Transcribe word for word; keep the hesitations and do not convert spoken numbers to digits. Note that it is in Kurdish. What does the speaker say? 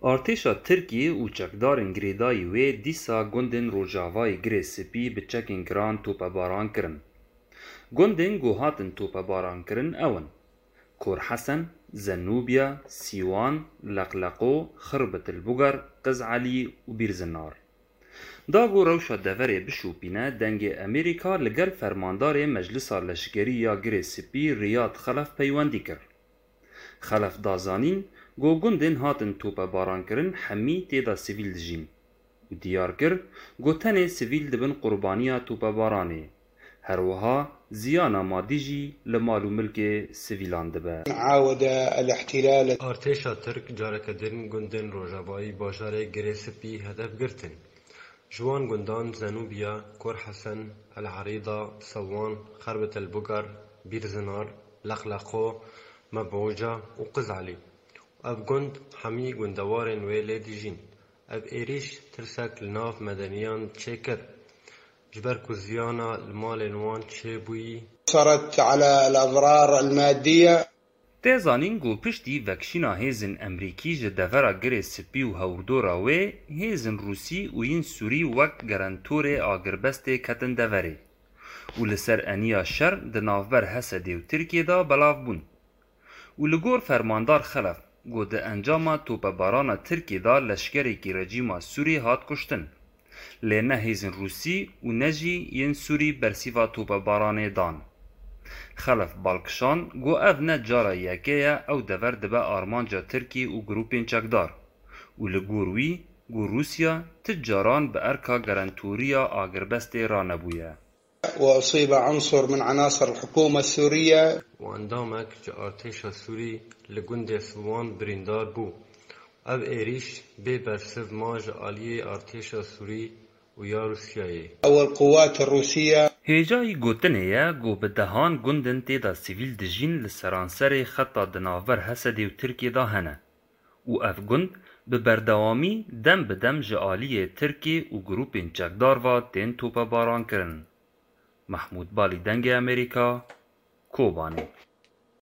Artêşa Tirkiyê û çekdarên girêdayî wê dîsa gundên rojavayê Girê Spî bi çekên giran topebaran kirin. Gundên ku hatin topebaran kirin ew in: Kor Hesen, Zenûbiya, Sîwan, Leqleqo, Xirbitilbugar, Qiz Elî û Bîrzinar. Da ku rewşa deverê bişopîne, Dengê Amerîka li gel fermandarê Meclisa Leşkerî ya Girê Spî Riyad Xelef peywendî kir. Xelef da zanîn ku gundên hatin topebarankirin hemî tê de sivîl dijîn û diyar kir ku tenê sivîl dibin qurbaniya topebaranê. Her wiha ziyana madî jî li mal û milkê sivîlan dibe. عاود الاحتلال. Artêşa Tirk careke din gundên rojavayî bajarê Girê Spî hedef girtin. Ji wan gundan Zenûbiya, Kor Hesen, El Erîda, Sewan, Xerbitel Bugar, Bîrzinar, Leqleqo, Mebûca û Qiz Elî. Ev gund hemî gundewarên wê lê dijîn. Ev êrîş tirsek li nav medeniyan çêkir, ji ber ku ziyana li malên wan çêbûyî. أثرت على الأضرار المادية. Tê zanîn ku piştî vekişîna hêzên Emrîkî ji devera Girê Spî û hewrdora wê, hêzên Rûsî û yên Sûrî wek gerentorê agirbestê ketin deverê û li ser eniya şer di navber Hesedê û Tirkiyê de belav bûn. Û li gor Fermandar Xelef, ku di encama topebarana Tirkiyê de leşkerekî rejîma Sûrî hat kuştin. Lê ne hêzên Rûsî û ne jî yên Sûrî bersîva topebaranê dan. Xelef bal kişand ku ev ne cara yekê ye ew dever dibe armanca Tirkî û grûpên çekdar û li gor wî ku Rûsya ti caran bi erka gerentoriya agirbestê ranebûye. وأصيب عنصر من عناصر الحكومة السورية. Û endamek ji artêşa Sûrî li gundê Silwan birîndar bû. Ev êrîş bê bersiv ma ji aliyê artêşa Sûrî û ya Rûsyayê. والقوات الروسية. Hêjayî gotinê ye ku bi dehan gundên tê de sivîl dijîn li seranserê xeta di navber Hesedê û Tirkiyê de hene û ev gund bi berdewamî dem bi dem ji aliyê Tirkê û grûpên çekdar ve tên topebarankirin. Mehmûd Balî, Dengê Amerîka, Kobanê.